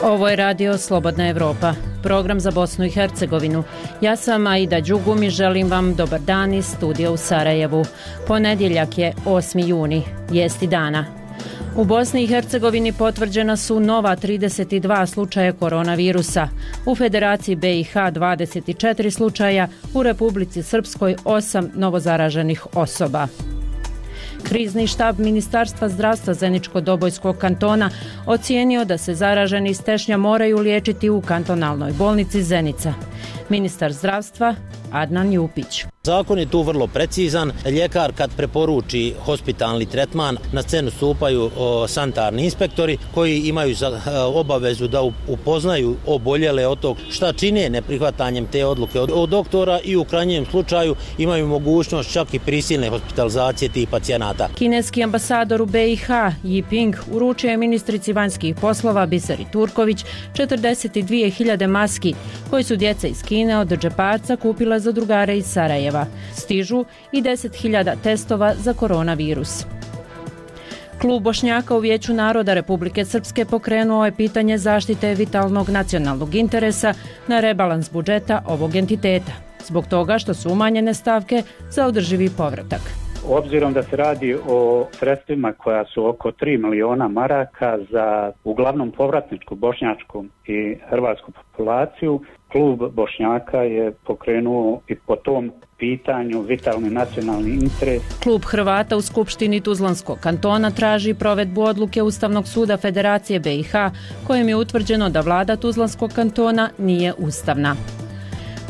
Ovo je radio Slobodna Evropa, program za Bosnu i Hercegovinu. Ja sam Aida Đugum i želim vam dobar dan iz studija u Sarajevu. Ponedjeljak je 8. juni, vijesti dana. U Bosni i Hercegovini potvrđena su nova 32 slučaja koronavirusa, u Federaciji BiH 24 slučaja, u Republici Srpskoj 8 novozaraženih osoba. Krizni štab Ministarstva zdravstva Zeničko-Dobojskog kantona ocijenio da se zaraženi iz Tešnja moraju liječiti u kantonalnoj bolnici Zenica. Ministar zdravstva Adnan Jupić. Zakon je tu vrlo precizan. Ljekar kad preporuči hospitalni tretman, na scenu stupaju sanitarni inspektori koji imaju obavezu da upoznaju oboljele od tog šta čine neprihvatanjem te odluke od doktora i u krajnjem slučaju imaju mogućnost čak i prisilne hospitalizacije tih pacijenata. Kineski ambasador u BiH Yiping uručio je ministrici vanjskih poslova Biseri Turković 42.000 maski koji su djeca iz Kine od džeparca kupila za drugare iz Sarajeva. Stižu i 10.000 testova za koronavirus. Klub Bošnjaka u Vijeću naroda Republike Srpske pokrenuo je pitanje zaštite vitalnog nacionalnog interesa na rebalans budžeta ovog entiteta, zbog toga što su umanjene stavke za održivi povratak. Obzirom da se radi o sredstvima koja su oko 3 miliona maraka za uglavnom povratničku bošnjačku i hrvatsku populaciju, klub Bošnjaka je pokrenuo i po tom pitanju vitalni nacionalni interes. Klub Hrvata u Skupštini Tuzlanskog kantona traži provedbu odluke Ustavnog suda Federacije BiH kojim je utvrđeno da vlada Tuzlanskog kantona nije ustavna.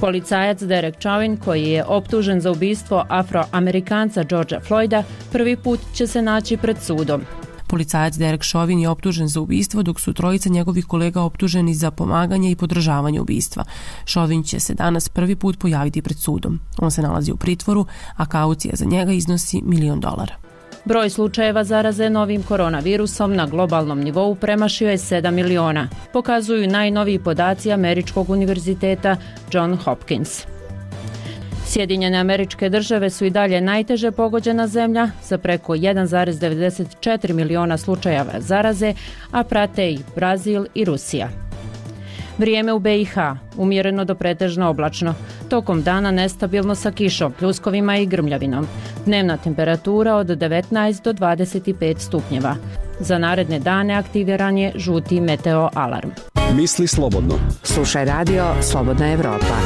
Policajac Derek Chauvin, koji je optužen za ubistvo Afroamerikanca Georgea Floyda, prvi put će se naći pred sudom. Policajac Derek Chauvin je optužen za ubistvo, dok su trojica njegovih kolega optuženi za pomaganje i podržavanje ubistva. Chauvin će se danas prvi put pojaviti pred sudom. On se nalazi u pritvoru, a kaucija za njega iznosi $1 milion. Broj slučajeva zaraze novim koronavirusom na globalnom nivou premašio je 7 miliona, pokazuju najnoviji podaci Američkog univerziteta John Hopkins. Sjedinjene Američke Države su i dalje najteže pogođena zemlja sa preko 1,94 miliona slučajeva zaraze, a prate i Brazil i Rusija. Vrijeme u BiH umjereno do pretežno oblačno, tokom dana nestabilno sa kišom, pljuskovima i grmljavinom. Dnevna temperatura od 19 do 25 stupnjeva. Za naredne dane aktiviran je žuti meteo alarm. Misli slobodno. Slušaj radio Slobodna Evropa.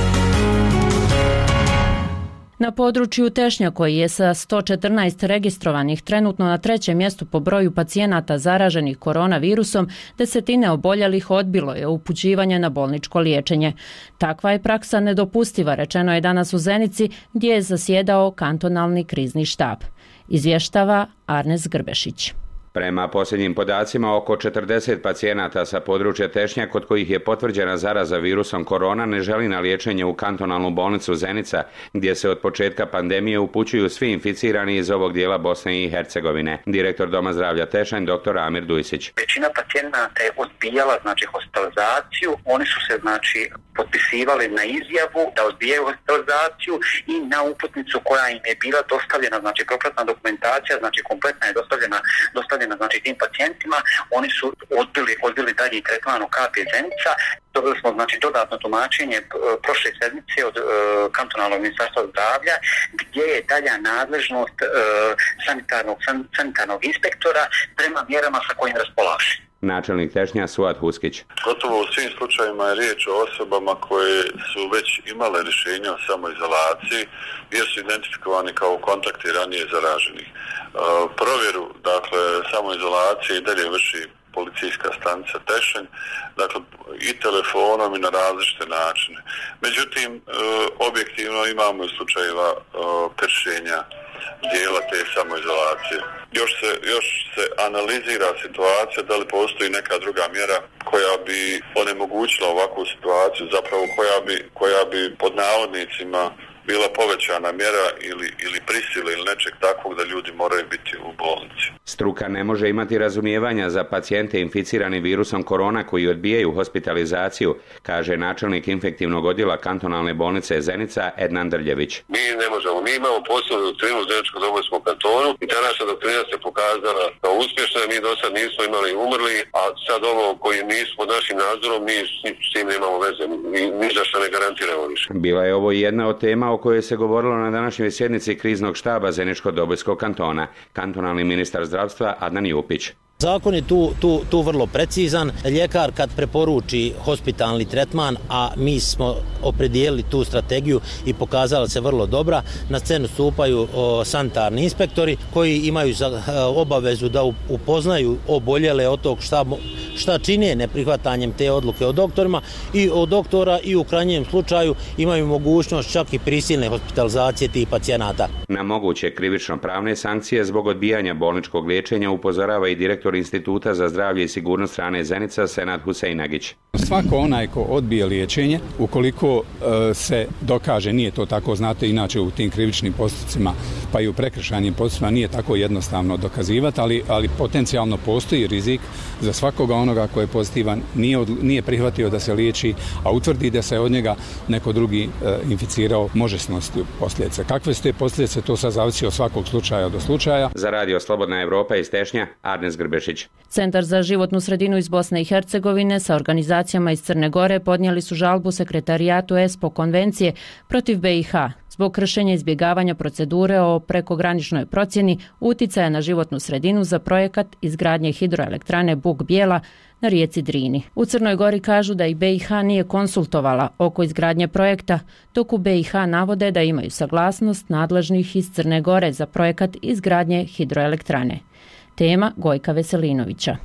Na području Tešnja, koji je sa 114 registrovanih trenutno na 3. mjestu po broju pacijenata zaraženih koronavirusom, desetine oboljelih odbilo je upućivanje na bolničko liječenje. Takva je praksa nedopustiva, rečeno je danas u Zenici, gdje je zasjedao kantonalni krizni štab. Izvještava Arnes Grbešić. Prema posljednjim podacima, oko 40 pacijenata sa područja Tešnja kod kojih je potvrđena zaraza virusom korona ne želi na liječenje u kantonalnu bolnicu Zenica, gdje se od početka pandemije upućuju svi inficirani iz ovog dijela Bosne i Hercegovine. Direktor Doma zdravlja Tešanj, dr. Amir Dujsić. Većina pacijenata je odbijala hospitalizaciju, oni su se potpisivali na izjavu da odbijaju hospitalizaciju i na uputnicu koja im je bila dostavljena, propratna dokumentacija, kompletna je dostavljena tim pacijentima, oni su odbili dalje tretman u KP Zenica. Dobili smo dodatno tumačenje prošle sedmice od kantonalnog ministarstva zdravlja, gdje je dalja nadležnost sanitarnog inspektora prema mjerama sa kojim raspolaže. Načelnik Tešnja Suad Huskić. Gotovo u svim slučajevima je riječ o osobama koje su već imale rješenje o samoizolaciji jer su identifikovani kao kontakti ranije zaraženih. Provjeru, samoizolacije i dalje vrši policijska stanica Tešanj, i telefonom i na različite načine. Međutim, objektivno imamo i slučajeva kršenja dijela te samoizolacije. Još se analizira situacija da li postoji neka druga mjera koja bi onemogućila ovakvu situaciju, zapravo koja bi pod navodnicima bila povećana mjera ili prisile ili nečeg takvog da ljudi moraju biti u bolnici. Struka ne može imati razumijevanja za pacijente inficirani virusom korona koji odbijaju hospitalizaciju, kaže načelnik infektivnog odjela kantonalne bolnice Zenica Ednan Drljević. Mi ne možemo, mi imamo posebnu doktrinu u Zeničko-Dobojskom kantonu i ta naša doktrina se pokazala kao uspješna, mi do sad nismo imali umrli, a sad ovo koji nisu pod našim nadzorom, mi s tim nemamo veze, ni za što ne garantiramo više. Bila je ovo jedna od tema o kojoj se govorilo na današnjoj sjednici kriznog štaba Zeničko-Dobojskog kantona. Kantonalni ministar zdravstva Adnan Jupić. Zakon je tu vrlo precizan. Ljekar kad preporuči hospitalni tretman, a mi smo opredijelili tu strategiju i pokazala se vrlo dobra, na scenu stupaju sanitarni inspektori koji imaju obavezu da upoznaju oboljele od tog šta čine neprihvatanjem te odluke od doktora i u krajnjem slučaju imaju mogućnost čak i prisilne hospitalizacije tih pacijenata. Na moguće krivično-pravne sankcije zbog odbijanja bolničkog liječenja upozorava i direktor Instituta za zdravlje i sigurnost hrane Zenica Senad Huseinagić. Svako onaj ko odbije liječenje, ukoliko se dokaže, nije to tako, znate, inače u tim krivičnim postupcima pa i u prekršajnim postupcima nije tako jednostavno dokazivati, ali potencijalno postoji rizik za svakoga onoga ko je pozitivan, nije prihvatio da se liječi, a utvrdi da se od njega neko drugi inficirao, može snositi posljedice. Kakve su te posljedice, to sad zavisi od svakog slučaja do slučaja. Za radio Slobodna Evropa iz Tešnja, Arnes Grbešić. Centar za životnu sredinu iz Bosne i Hercegovine sa organizacijama iz Crne Gore podnijeli su žalbu sekretarijatu ESPO konvencije protiv BiH zbog kršenja izbjegavanja procedure o prekograničnoj procjeni uticaja na životnu sredinu za projekat izgradnje hidroelektrane Buk Bijela na rijeci Drini. U Crnoj Gori kažu da i BiH nije konsultovala oko izgradnje projekta, dok u BiH navode da imaju saglasnost nadležnih iz Crne Gore za projekat izgradnje hidroelektrane. Tema Gojka Veselinovića.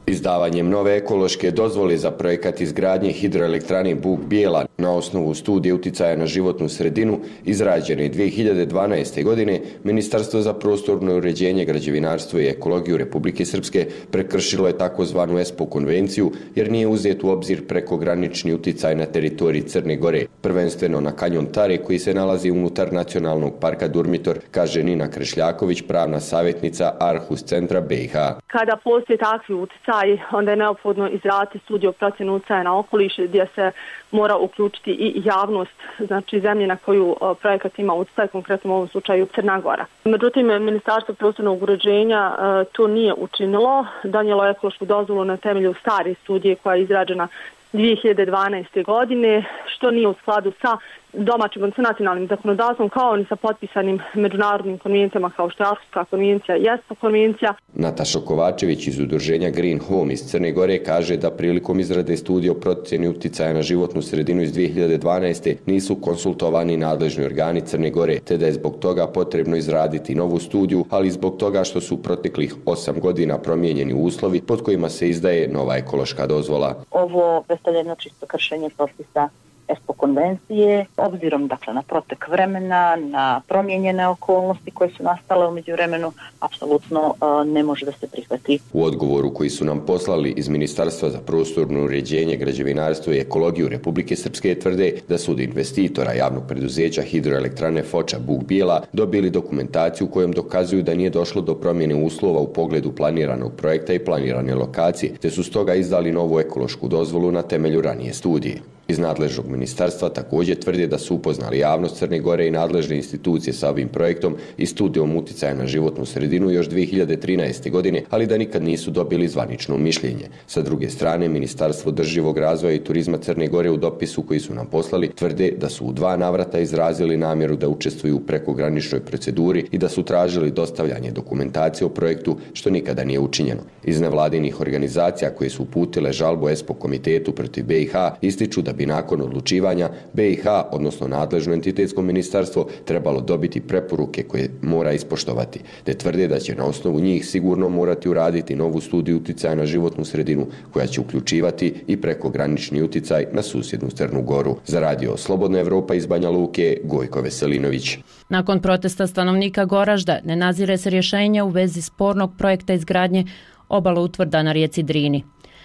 Izdavanjem nove ekološke dozvole za projekat izgradnje hidroelektrane Buk Bijela na osnovu studije uticaja na životnu sredinu izrađene 2012. godine, Ministarstvo za prostorno uređenje, građevinarstvo i ekologiju Republike Srpske prekršilo je takozvanu ESPO konvenciju jer nije uzet u obzir prekogranični uticaj na teritoriji Crne Gore, prvenstveno na kanjon Tare koji se nalazi unutar nacionalnog parka Durmitor, kaže Nina Krešljaković, pravna savjetnica Arhus centra BiH. Kada postoje takvi uticaj, onda je neophodno izraditi studiju o procjeni utjecaja na okoliš gdje se mora uključiti i javnost, znači zemlje na koju projekat ima utjecaj, konkretno u ovom slučaju Crna Gora. Međutim, Ministarstvo prostornog uređenja to nije učinilo, donijelo ekološku dozvolu na temelju stare studije koja je izrađena 2012. godine, što nije u skladu sa domaćim, sa nacionalnim zakonodavstvom, kao ni sa potpisanim međunarodnim konvencijama kao što je Arhuska konvencija i ESPO konvencija. Nataša Kovačević iz udruženja Green Home iz Crne Gore kaže da prilikom izrade studije o procjeni uticaja na životnu sredinu iz 2012. nisu konsultovani nadležni organi Crne Gore, te da je zbog toga potrebno izraditi novu studiju, ali zbog toga što su proteklih 8 godina promijenjeni uslovi pod kojima se izdaje nova ekološka dozvola. Ovo predstavlja jedno čisto kršenje propisa ESPO konvencije, obzirom dakle na protek vremena, na promijenjene okolnosti koje su nastale u međuvremenu, apsolutno ne može da se prihvati. U odgovoru koji su nam poslali iz Ministarstva za prostorno uređenje, građevinarstvo i ekologiju Republike Srpske tvrde da su od investitora javnog preduzeća hidroelektrane Foča Buk Bijela dobili dokumentaciju kojom dokazuju da nije došlo do promjene uslova u pogledu planiranog projekta i planirane lokacije, te su stoga izdali novu ekološku dozvolu na temelju ranije studije. Iz nadležnog ministarstva također tvrde da su upoznali javnost Crne Gore i nadležne institucije sa ovim projektom i studijom uticaja na životnu sredinu još 2013. godine, ali da nikad nisu dobili zvanično mišljenje. Sa druge strane, Ministarstvo održivog razvoja i turizma Crne Gore u dopisu koji su nam poslali tvrde da su u 2 navrata izrazili namjeru da učestvuju u prekograničnoj proceduri i da su tražili dostavljanje dokumentacije o projektu, što nikada nije učinjeno. Iz nevladinih organizacija koje su uputile žalbu ESPO komitetu protiv BiH ističu da bi nakon odlučivanja BiH, odnosno nadležno entitetsko ministarstvo, trebalo dobiti preporuke koje mora ispoštovati, te tvrde da će na osnovu njih sigurno morati uraditi novu studiju uticaja na životnu sredinu koja će uključivati i prekogranični uticaj na susjednu Crnu Goru. Za radio Slobodna Evropa iz Banja Luke, Gojko Veselinović. Nakon protesta stanovnika Goražda ne nazire se rješenje u vezi spornog projekta izgradnje obaloutvrda na rijeci Drini.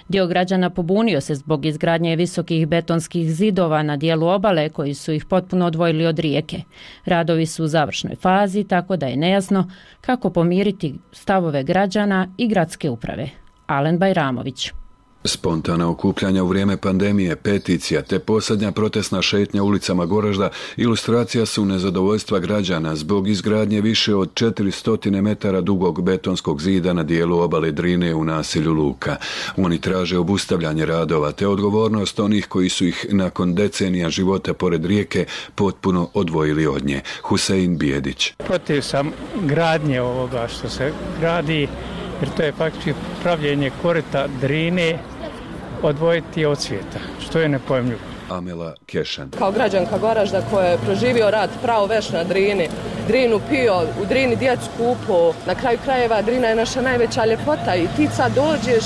Dio građana pobunio se zbog izgradnje visokih betonskih zidova na dijelu obale koji su ih potpuno odvojili od rijeke. Radovi su u završnoj fazi, tako da je nejasno kako pomiriti stavove građana i gradske uprave. Alen Bajramović. Spontana okupljanja u vrijeme pandemije, peticija te posljednja protestna šetnja ulicama Goražda ilustracija su nezadovoljstva građana zbog izgradnje više od 400 metara dugog betonskog zida na dijelu obale Drine u naselju Luka. Oni traže obustavljanje radova te odgovornost onih koji su ih nakon decenija života pored rijeke potpuno odvojili od nje. Husein Bijedić. Protiv sam gradnje ovoga što se gradi, jer to je faktički pravljenje korita Drine odvojiti od svijeta, što je nepojmljivo. Amela Kešan. Kao građanka Goražda koja je proživio rat pravo veš na Drini, Drinu pio, u Drini djecu kupo, na kraju krajeva Drina je naša najveća ljepota i ti sad dođeš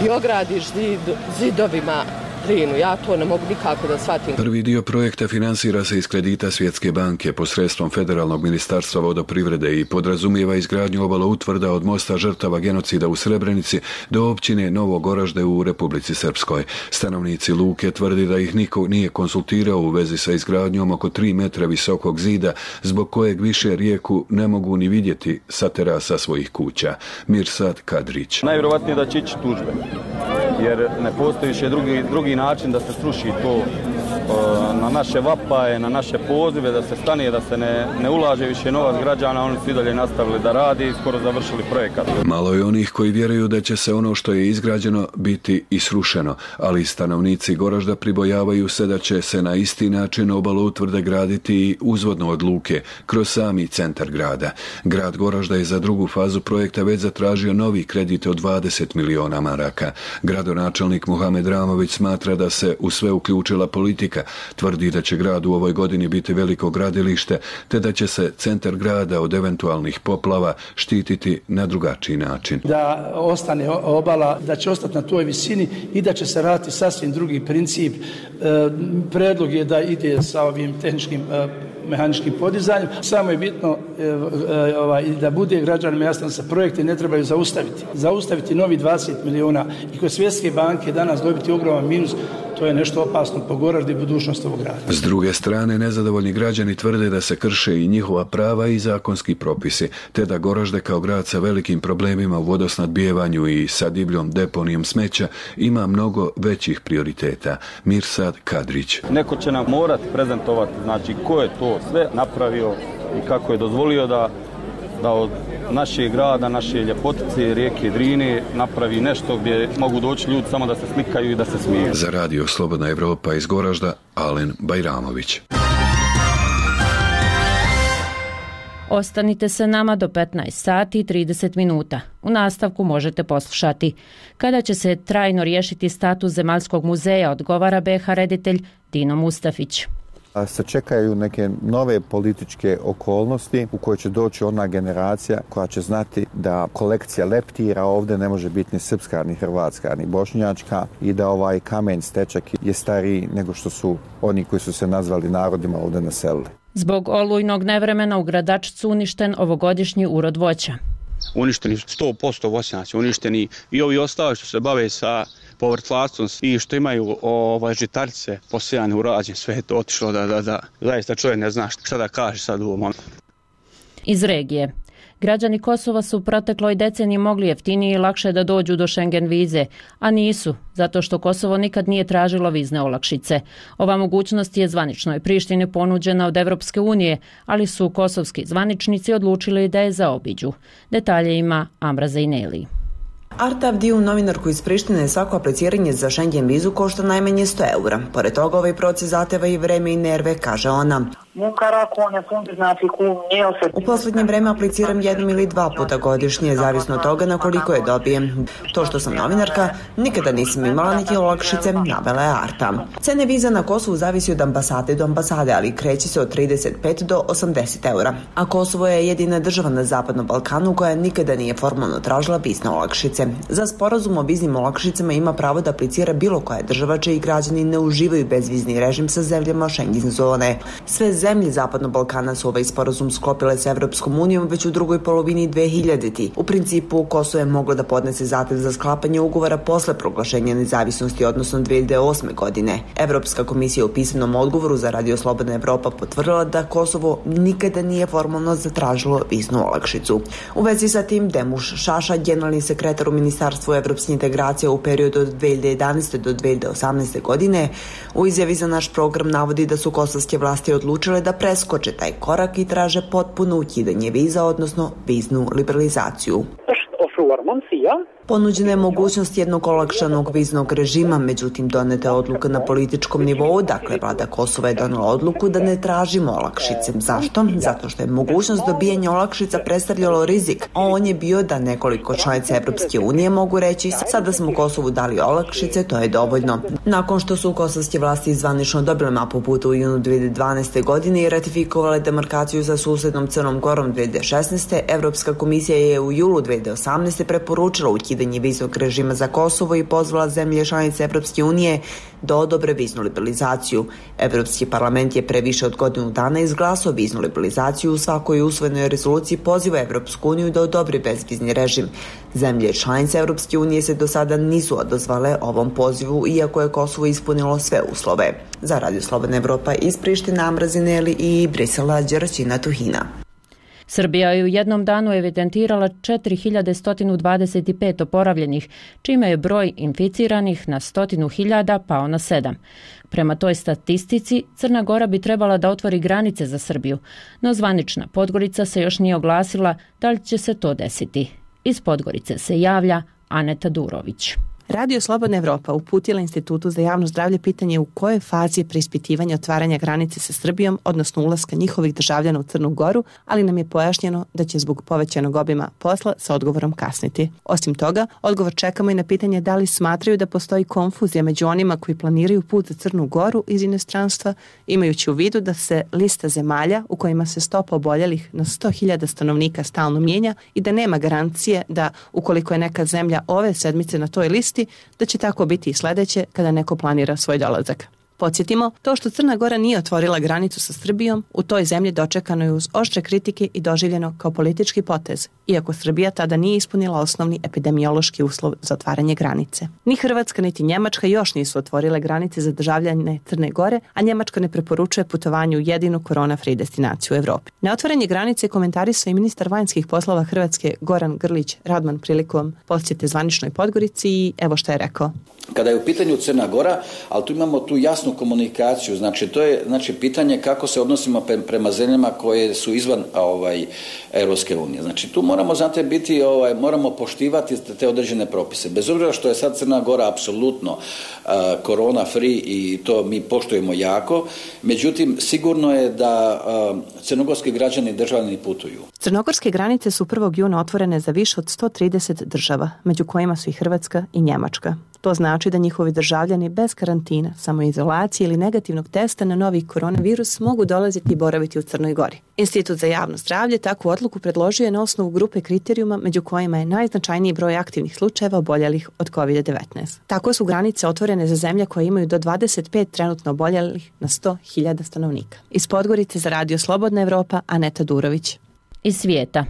i ogradiš zidovima Drinu. Ja to ne mogu nikako da shvatim. Prvi dio projekta finansira se iz kredita Svjetske banke posredstvom Federalnog ministarstva vodoprivrede i podrazumijeva izgradnju obaloutvrda od mosta žrtava genocida u Srebrenici do općine Novo Goražde u Republici Srpskoj. Stanovnici Luke tvrdi da ih niko nije konsultirao u vezi sa izgradnjom oko 3 metra visokog zida, zbog kojeg više rijeku ne mogu ni vidjeti sa terasa svojih kuća. Mirsad Kadrić. Najvjerovatnije da će ići tužbe, jer ne postoji više drugi način da se sruši to na naše vapaje, na naše pozive, da se stane, da se ne ulaže više novac građana. Oni su i dalje nastavili da radi i skoro završili projekat. Malo je onih koji vjeruju da će se ono što je izgrađeno biti i srušeno, ali stanovnici Goražda pribojavaju se da će se na isti način obaloutvrde graditi i uzvodno od Luke, kroz sami centar grada. Grad Goražda je za drugu fazu projekta već zatražio novi kredit od 20 miliona maraka. Gradonačelnik Muhamed Ramović smatra da se u sve uključila politika. Tvrdi da će grad u ovoj godini biti veliko gradilište, te da će se centar grada od eventualnih poplava štititi na drugačiji način. Da ostane obala, da će ostati na toj visini i da će se raditi sasvim drugi princip. Predlog je da ide sa ovim tehničkim mehaničkim podizanjem. Samo je bitno da bude građanima jasno da se projekte ne trebaju zaustaviti. Zaustaviti novi 20 miliona i kod Svjetske banke danas dobiti ogroman minus, to je nešto opasno po Goraždu i budućnost ovog grada. S druge strane, nezadovoljni građani tvrde da se krše i njihova prava i zakonski propisi, te da Goražde kao grad sa velikim problemima u vodosnadbijevanju i sa divljom deponijom smeća ima mnogo većih prioriteta. Mirsad Kadrić. Neko će nam morati prezentovati, znači ko je to sve napravio i kako je dozvolio da od našeg grada, naše ljepotice, rijeke Drine napravi nešto gdje mogu doći ljudi samo da se slikaju i da se smiju. Za radio Slobodna Evropa iz Goražda, Alen Bajramović. Ostanite se nama do 15 sati i 30 minuta. U nastavku možete poslušati. Kada će se trajno riješiti status Zemaljskog muzeja, odgovara BiH reditelj Dino Mustafić. Se čekaju neke nove političke okolnosti u kojoj će doći ona generacija koja će znati da kolekcija leptira ovdje ne može biti ni srpska, ni hrvatska, ni bošnjačka i da ovaj kamen stečak je stariji nego što su oni koji su se nazvali narodima ovdje naselili. Zbog olujnog nevremena u Gradačcu uništen ovogodišnji urod voća. Uništeni 100% voćnjaci, uništeni i ovi ostali što se bave sa povrtlarstvom i što imaju žitarice posijane, urađene, sve je to otišlo da zaista čovjek ne zna šta da kaže sad u ovom momentu. Iz regije. Građani Kosova su u protekloj deceniji mogli jeftinije i lakše da dođu do Schengen vize, a nisu, zato što Kosovo nikad nije tražilo vizne olakšice. Ova mogućnost je zvaničnoj Prištini ponuđena od Evropske unije, ali su kosovski zvaničnici odlučili da je zaobiđu. Detalje ima Amra Zajneli. Arta Avdiju, novinarku iz Prištine, svako apliciranje za Schengen vizu košta najmanje 100 eura. Pored toga, ovaj proces zahteva i vreme i nerve, kaže ona. U posljednje vreme apliciram 1 ili 2 puta godišnje, zavisno od toga na koliko je dobijem. To što sam novinarka, nikada nisam imala niti olakšice, navela je Arta. Cene viza na Kosovu zavisi od ambasade do ambasade, ali kreće se od 35 do 80 eura. A Kosovo je jedina država na Zapadnom Balkanu koja nikada nije formalno tražila vizne olakšice. Za sporazum o viznim olakšicama ima pravo da aplicira bilo koja država čiji građani ne uživaju bezvizni režim sa zemljama Schengen zone. Sve zemlje Zapadnog Balkana su ovaj sporazum sklopile sa Evropskom unijom već u drugoj polovini 2000. U principu, Kosovo je moglo da podnese zahtev za sklapanje ugovora posle proglašenja nezavisnosti, odnosno 2008. godine. Evropska komisija u pisanom odgovoru za Radio Slobodna Evropa potvrdila da Kosovo nikada nije formalno zatražilo viznu olakšicu. U vezi sa tim, Demuš Šaša, generalni sekretar u Ministarstvu evropske integracije u periodu od 2011. do 2018. godine, u izjavi za naš program navodi da su kosovske vlasti odlučile da preskoče taj korak i traže potpuno ukidanje viza, odnosno viznu liberalizaciju. Ponuđena je mogućnost jednog olakšanog viznog režima, međutim doneta je odluka na političkom nivou, dakle vlada Kosova je donela odluku da ne tražimo olakšice. Zašto? Zato što je mogućnost dobijanja olakšica predstavljalo rizik, a on je bio da nekoliko članica Evropske unije mogu reći sada smo Kosovu dali olakšice, to je dovoljno. Nakon što su kosovske vlasti zvanično dobile mapu puta u junu 2012. godine i ratifikovale demarkaciju sa susednom Crnom Gorom 2016. Evropska komisija je u julu 2018. preporučila ukidanje viznog režima za Kosovo i pozvala zemlje članice Evropske unije da odobre viznu liberalizaciju. Evropski parlament je pre više od godinu dana izglasao viznu liberalizaciju. U svakoj usvojenoj rezoluciji poziva Evropsku uniju da odobri bezvizni režim. Zemlje članice Evropske unije se do sada nisu odazvale ovom pozivu, iako je Kosovo ispunilo sve uslove. Za Radio Slobodna Evropa iz Priština, Amrazineli i Brisela, Đeraćina Tuhina. Srbija je u jednom danu evidentirala 4125 oporavljenih, čime je broj inficiranih na 100.000 pao na 7. Prema toj statistici, Crna Gora bi trebala da otvori granice za Srbiju, no zvanična Podgorica se još nije oglasila da li će se to desiti. Iz Podgorice se javlja Aneta Durović. Radio Slobodna Evropa uputila Institutu za javno zdravlje pitanje u kojoj fazi je preispitivanje otvaranja granice sa Srbijom, odnosno ulaska njihovih državljana u Crnu Goru, ali nam je pojašnjeno da će zbog povećanog obima posla sa odgovorom kasniti. Osim toga, odgovor čekamo i na pitanje da li smatraju da postoji konfuzija među onima koji planiraju put za Crnu Goru iz inostranstva, imajući u vidu da se lista zemalja u kojima se stopa oboljelih na 100.000 stanovnika stalno mijenja i da nema garancije da ukoliko je neka zemlja ove sedmice na toj listi, da će tako biti i sledeće kada neko planira svoj dolazak. Podsjetimo, to što Crna Gora nije otvorila granicu sa Srbijom, u toj zemlji dočekano je uz oštre kritike i doživljeno kao politički potez, iako Srbija tada nije ispunila osnovni epidemiološki uslov za otvaranje granice. Ni Hrvatska niti Njemačka još nisu otvorile granice za državljane Crne Gore, a Njemačka ne preporučuje putovanje u jedinu korona-free destinaciju u Evropi. Na otvaranje granice komentarisao i ministar vanjskih poslova Hrvatske Goran Grlić Radman prilikom posjete zvaničnoj Podgorici i evo što je rekao. Kada je u pitanju Crna Gora, ali tu imamo tu jasnu komunikaciju, znači to je pitanje kako se odnosimo prema zemljama koje su izvan Europske unije. Znači tu moramo biti moramo poštivati te određene propise. Bez obzira što je sad Crna Gora apsolutno korona free i to mi poštujemo jako, međutim sigurno je da crnogorski građani državljani putuju. Crnogorske granice su 1. juna otvorene za više od 130 država, među kojima su i Hrvatska i Njemačka. To znači da njihovi državljani bez karantina, samoizolacije ili negativnog testa na novi koronavirus mogu dolaziti i boraviti u Crnoj Gori. Institut za javno zdravlje takvu odluku predložio je na osnovu grupe kriterijuma među kojima je najznačajniji broj aktivnih slučajeva oboljelih od COVID-19. Tako su granice otvorene za zemlje koje imaju do 25 trenutno oboljelih na 100.000 stanovnika. Iz Podgorice za Radio Slobodna Evropa, Aneta Durović. Iz svijeta.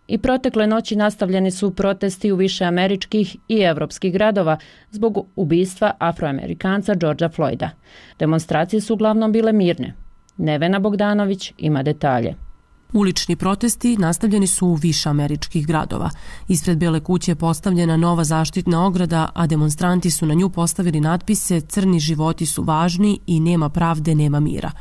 I protekle noći nastavljeni su protesti u više američkih i evropskih gradova zbog ubistva Afroamerikanca Georgea Floyda. Demonstracije su uglavnom bile mirne. Nevena Bogdanović ima detalje. Ulični protesti nastavljeni su u više američkih gradova. Ispred Bele kuće je postavljena nova zaštitna ograda, a demonstranti su na nju postavili natpise "Crni životi su važni" i "Nema pravde, nema mira".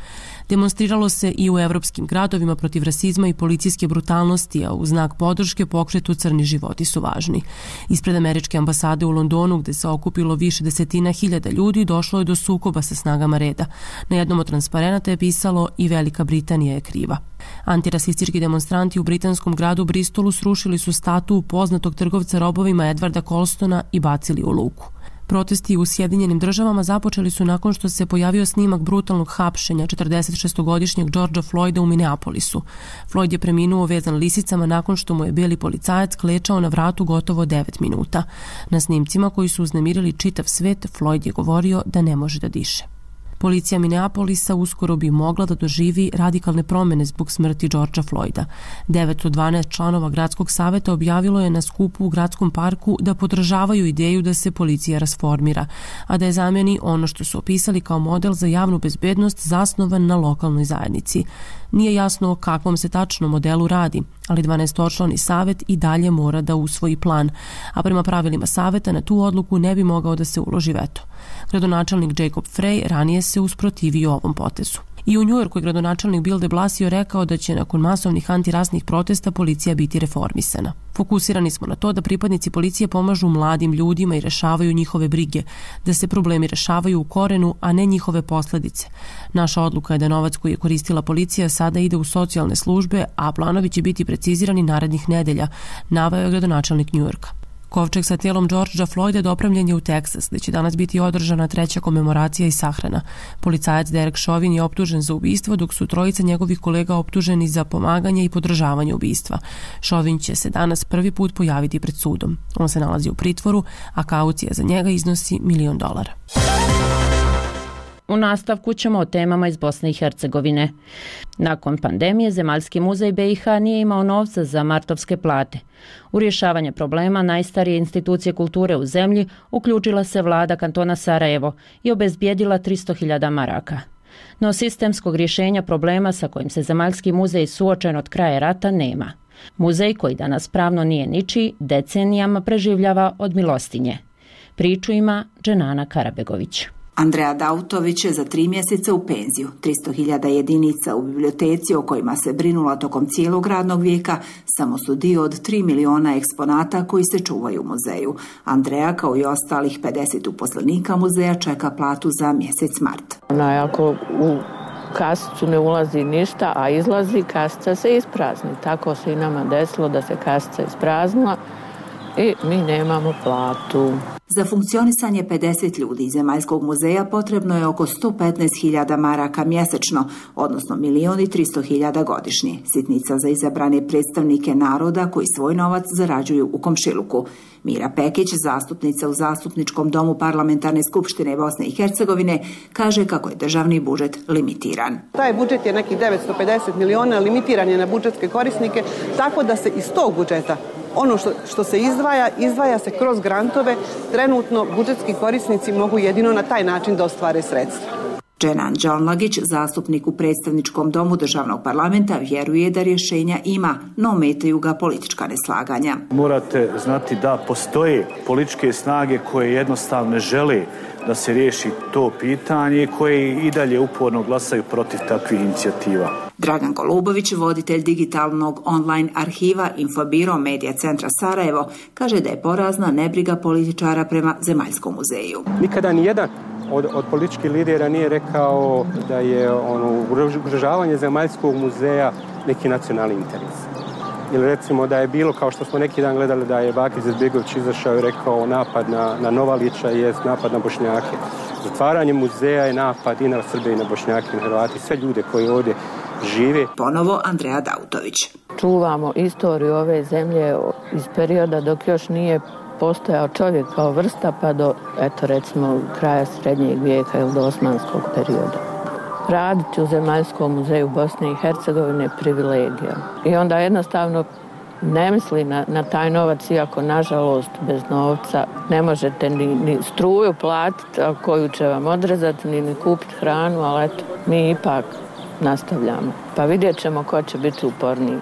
Demonstriralo se i u evropskim gradovima protiv rasizma i policijske brutalnosti, a u znak podrške pokretu "Crni životi su važni". Ispred američke ambasade u Londonu, gde se okupilo više desetina hiljada ljudi, došlo je do sukoba sa snagama reda. Na jednom od transparenata je pisalo "I Velika Britanija je kriva". Antirasistički demonstranti u britanskom gradu Bristolu srušili su statu poznatog trgovca robovima Edwarda Colstona i bacili u luku. Protesti u Sjedinjenim Državama započeli su nakon što se pojavio snimak brutalnog hapšenja 46-godišnjeg Georgea Floyda u Minneapolisu. Floyd je preminuo vezan lisicama nakon što mu je beli policajac klečao na vratu gotovo 9 minuta. Na snimcima koji su uznemirili čitav svet, Floyd je govorio da ne može da diše. Policija Minneapolisa uskoro bi mogla da doživi radikalne promene zbog smrti Georgea Floyda. 9 od 12 članova gradskog saveta objavilo je na skupu u gradskom parku da podržavaju ideju da se policija rasformira, a da je zameni ono što su opisali kao model za javnu bezbednost zasnovan na lokalnoj zajednici. Nije jasno o kakvom se tačno modelu radi, ali 12-člani savet i dalje mora da usvoji plan, a prema pravilima saveta na tu odluku ne bi mogao da se uloži veto. Gradonačelnik Jacob Frey ranije se usprotivio ovom potezu. I u Njujorku je gradonačelnik Bill de Blasio rekao da će nakon masovnih antirasnih protesta policija biti reformisana. Fokusirani smo na to da pripadnici policije pomažu mladim ljudima i rešavaju njihove brige, da se problemi rešavaju u korenu, a ne njihove posledice. Naša odluka je da novac koji je koristila policija sada ide u socijalne službe, a planovi će biti precizirani narednih nedelja, naveo je gradonačelnik Njujorka. Kovčeg sa tijelom Georgea Floyda dopremljen je u Teksas, gde će danas biti održana 3. komemoracija i sahrana. Policajac Derek Chauvin je optužen za ubistvo, dok su trojica njegovih kolega optuženi za pomaganje i podržavanje ubistva. Chauvin će se danas prvi put pojaviti pred sudom. On se nalazi u pritvoru, a kaucija za njega iznosi $1 milion. U nastavku ćemo o temama iz Bosne i Hercegovine. Nakon pandemije, Zemaljski muzej BiH nije imao novca za martovske plate. U rješavanje problema najstarije institucije kulture u zemlji uključila se vlada kantona Sarajevo i obezbijedila 300.000 maraka. No sistemskog rješenja problema sa kojim se Zemaljski muzej suočen od kraja rata nema. Muzej, koji danas pravno nije ničiji, decenijama preživljava od milostinje. Priču ima Dženana Karabegović. Andreja Dautović je za 3 mjeseca u penziju. 300.000 jedinica u biblioteci o kojima se brinula tokom cijelog radnog vijeka samo su dio od 3 miliona eksponata koji se čuvaju u muzeju. Andreja, kao i ostalih 50 uposlenika muzeja, čeka platu za mjesec mart. Ako u kasicu ne ulazi ništa, a izlazi, kasica se isprazni. Tako se i nama desilo da se kasica ispraznila i mi nemamo platu. Za funkcionisanje 50 ljudi iz Zemaljskog muzeja potrebno je oko 115.000 maraka mjesečno, odnosno 1.300.000 godišnje. Sitnica za izabrane predstavnike naroda koji svoj novac zarađuju u komšiluku. Mira Pekić, zastupnica u Zastupničkom domu Parlamentarne skupštine Bosne i Hercegovine, kaže kako je državni budžet limitiran. Taj budžet je nekih 950 miliona, limitiran je na budžetske korisnike, tako da se iz tog budžeta ono što se izdvaja se kroz grantove. Trenutno budžetski korisnici mogu jedino na taj način da ostvare sredstva. Dženan Đalnagić, zastupnik u predstavničkom domu državnog parlamenta, vjeruje da rješenja ima, no ometaju ga politička neslaganja. Morate znati da postoje političke snage koje jednostavno ne žele da se riješi to pitanje i koje i dalje uporno glasaju protiv takvih inicijativa. Dragan Golubović, voditelj digitalnog online arhiva Infobiro Medija centra Sarajevo, kaže da je porazna nebriga političara prema Zemaljskom muzeju. Nikada nijedan od političkih lidera nije rekao da je ugrožavanje Zemaljskog muzeja neki nacionalni interes. Ili recimo da je bilo, kao što smo neki dan gledali, da je Bakir Izetbegović izašao i rekao napad na Novalića je napad na Bošnjake. Zatvaranje muzeja je napad i na Srbe i na Bošnjake i na Hrvati, sve ljude koji ovdje žive. Ponovo Andreja Dautović. Čuvamo istoriju ove zemlje iz perioda dok još nije postojao čovjek kao vrsta pa do, recimo, kraja srednjeg vijeka ili do osmanskog perioda. Raditi u Zemaljskom muzeju Bosne i Hercegovine je privilegija. I onda jednostavno ne misli na taj novac, iako nažalost bez novca ne možete ni struju platiti koju će vam odrezati, ni kupiti hranu, ali eto, mi ipak nastavljamo. Pa vidjet ćemo ko će biti uporniji.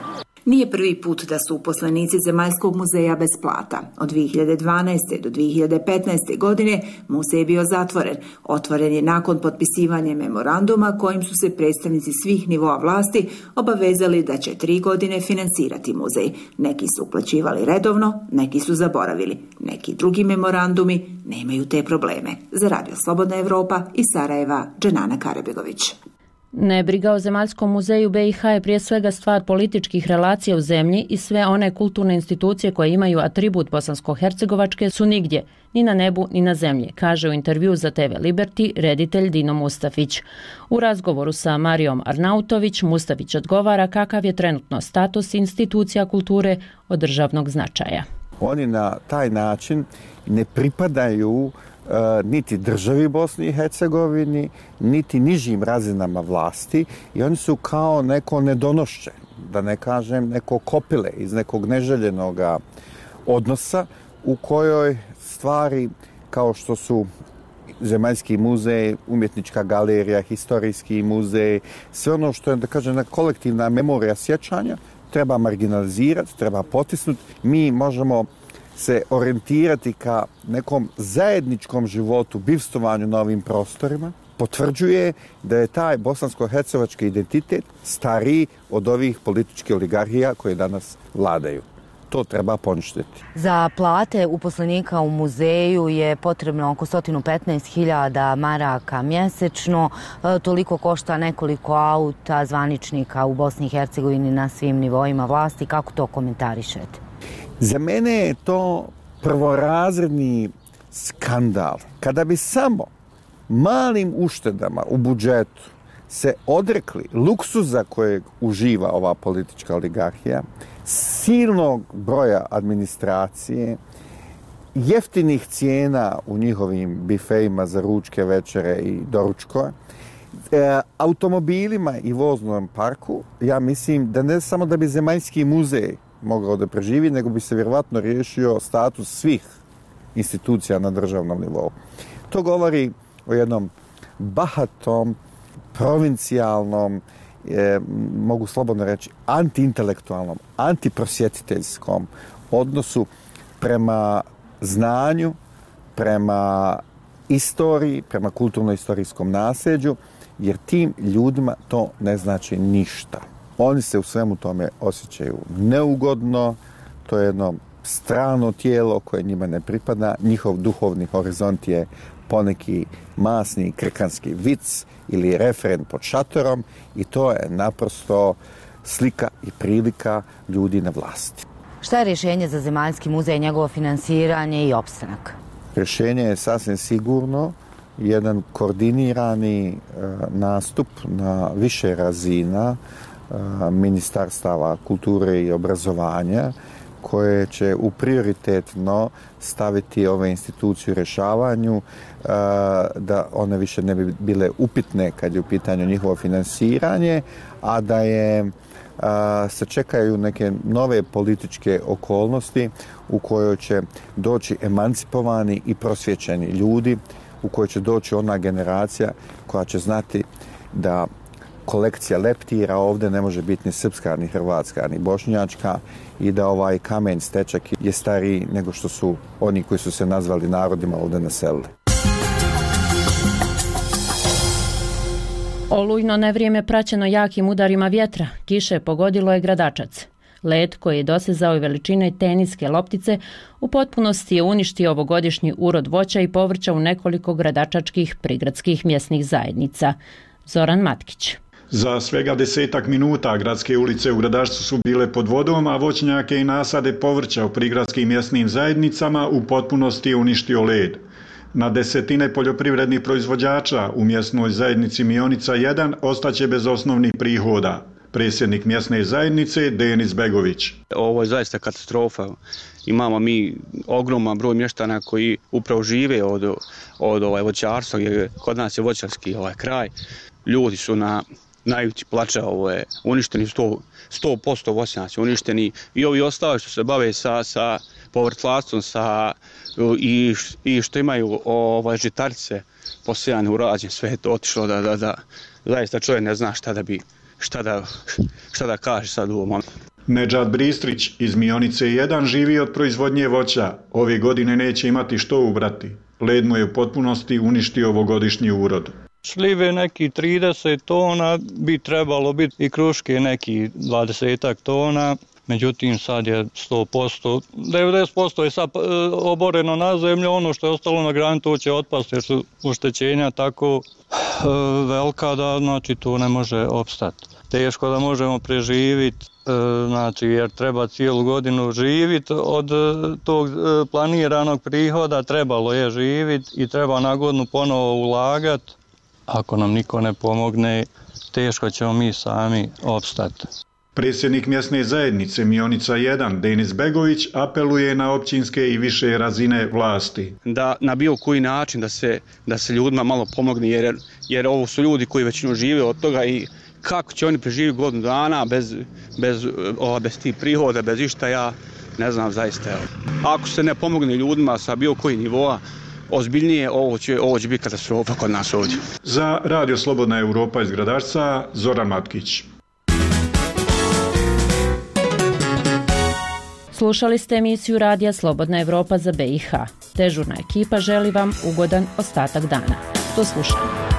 Nije prvi put da su uposlenici Zemaljskog muzeja bez plata. Od 2012. do 2015. godine muzej je bio zatvoren. Otvoren je nakon potpisivanja memoranduma kojim su se predstavnici svih nivoa vlasti obavezali da će 3 godine financirati muzej. Neki su uplaćivali redovno, neki su zaboravili. Neki drugi memorandumi nemaju te probleme. Za Radio Slobodna Evropa iz Sarajeva, Dženana Karabegović. Nebriga o Zemaljskom muzeju BiH je prije svega stvar političkih relacija u zemlji i sve one kulturne institucije koje imaju atribut bosansko-hercegovačke su nigdje, ni na nebu ni na zemlji, kaže u intervju za TV Liberty reditelj Dino Mustafić. U razgovoru sa Marijom Arnautović, Mustafić odgovara kakav je trenutno status institucija kulture od državnog značaja. Oni na taj način ne pripadaju niti državi Bosni i Hercegovini, niti nižim razinama vlasti i oni su kao neko nedonošće, da ne kažem neko kopile iz nekog neželjenog odnosa u kojoj stvari kao što su Zemaljski muzej, umjetnička galerija, historijski muzej, sve ono što je, da kažem, kolektivna memorija sjećanja, treba marginalizirati, treba potisnuti. Mi možemo se orijentirati ka nekom zajedničkom životu, bivstovanju na ovim prostorima, potvrđuje da je taj bosansko-hercevački identitet stariji od ovih političkih oligarhija koje danas vladaju. To treba poništiti. Za plate uposlenika u muzeju je potrebno oko 115.000 maraka mjesečno. Toliko košta nekoliko auta zvaničnika u Bosni i Hercegovini na svim nivoima vlasti. Kako to komentarišete? Za mene je to prvorazredni skandal. Kada bi samo malim uštedama u budžetu se odrekli luksuza kojeg uživa ova politička oligarhija, silnog broja administracije, jeftinih cijena u njihovim bifejima za ručke, večere i doručkove, automobilima i voznom parku, ja mislim da ne samo da bi Zemaljski muzej mogao da preživi, nego bi se vjerovatno riješio status svih institucija na državnom nivou. To govori o jednom bahatom, provincijalnom, mogu slobodno reći, antiintelektualnom, antiprosjetiteljskom odnosu prema znanju, prema istoriji, prema kulturno-istorijskom nasljeđu, jer tim ljudima to ne znači ništa. Oni se u svemu tome osjećaju neugodno, to je jedno strano tijelo koje njima ne pripada, njihov duhovni horizont je poneki masni krkanski vic ili referen pod šatorom i to je naprosto slika i prilika ljudi na vlasti. Šta je rješenje za Zemaljski muzej, njegovo finansiranje i opstanak? Rješenje je sasvim sigurno jedan koordinirani nastup na više razina ministarstava kulture i obrazovanja koje će u prioritetno staviti ove institucije u rješavanju, da one više ne bi bile upitne kad je u pitanju njihovo finansiranje, a da se čekaju neke nove političke okolnosti u kojoj će doći emancipovani i prosvjećeni ljudi, u kojoj će doći ona generacija koja će znati da kolekcija leptira ovdje ne može biti ni srpska, ni hrvatska, ni bošnjačka i da ovaj kamen stečak je stariji nego što su oni koji su se nazvali narodima ovdje naselili. Olujno nevrijeme praćeno jakim udarima vjetra, kiše pogodilo je Gradačac. Led koji je dosezao i veličine teniske loptice u potpunosti je uništio ovogodišnji urod voća i povrća u nekoliko gradačačkih prigradskih mjesnih zajednica. Zoran Matkić. Za svega 10 minuta gradske ulice u Gradačcu su bile pod vodom, a voćnjake i nasade povrća u prigradskim mjesnim zajednicama u potpunosti je uništio led. Na desetine poljoprivrednih proizvođača u mjesnoj zajednici Mionica 1 ostaće bez osnovnih prihoda. Predsjednik mjesne zajednice Denis Begović. Ovo je zaista katastrofa. Imamo mi ogroman broj mještana koji upravo žive od voćarstva, kod nas je voćarski kraj. Ljudi su na ivici plača, uništeni 100% voćnjaci, uništeni i ovi ostali što se bave sa povrtlarstvom i što imaju žitarice posijane u rađen, sve je to otišlo da zaista čovjek ne zna šta da kaže sad u ovom. Nedžad Bristrić iz Mionice 1 živi od proizvodnje voća. Ove godine neće imati što ubrati. Led mu je u potpunosti uništio ovogodišnji urod. Šljive neki 30 tona, bi trebalo biti i kruške neki 20 tona. Međutim, sad je 100%, 90% je sad oboreno na zemlju, ono što je ostalo na grani to će otpasti jer su oštećenja tako velika da znači to ne može opstati. Teško da možemo preživjeti, znači jer treba cijelu godinu živjeti od tog planiranog prihoda, trebalo je živjeti i treba na godinu ponovo ulagati. Ako nam niko ne pomogne, teško ćemo mi sami opstati. Predsjednik mjesne zajednice Mionica 1, Denis Begović, apeluje na općinske i više razine vlasti. Da na bilo koji način da se ljudima malo pomogne, jer ovo su ljudi koji većinu žive od toga i kako će oni preživjeti godinu dana bez tih prihoda, bez išta, ja ne znam zaista. Ako se ne pomogne ljudima sa bilo koji nivoa, ozbiljnije, ovo će biti katastrofa kod nas ovdje. Za Radio Slobodna Europa iz Gradačca, Zoran Matkić. Slušali ste emisiju Radija Slobodna Evropa za BiH. Dežurna ekipa želi vam ugodan ostatak dana. Do slušanja.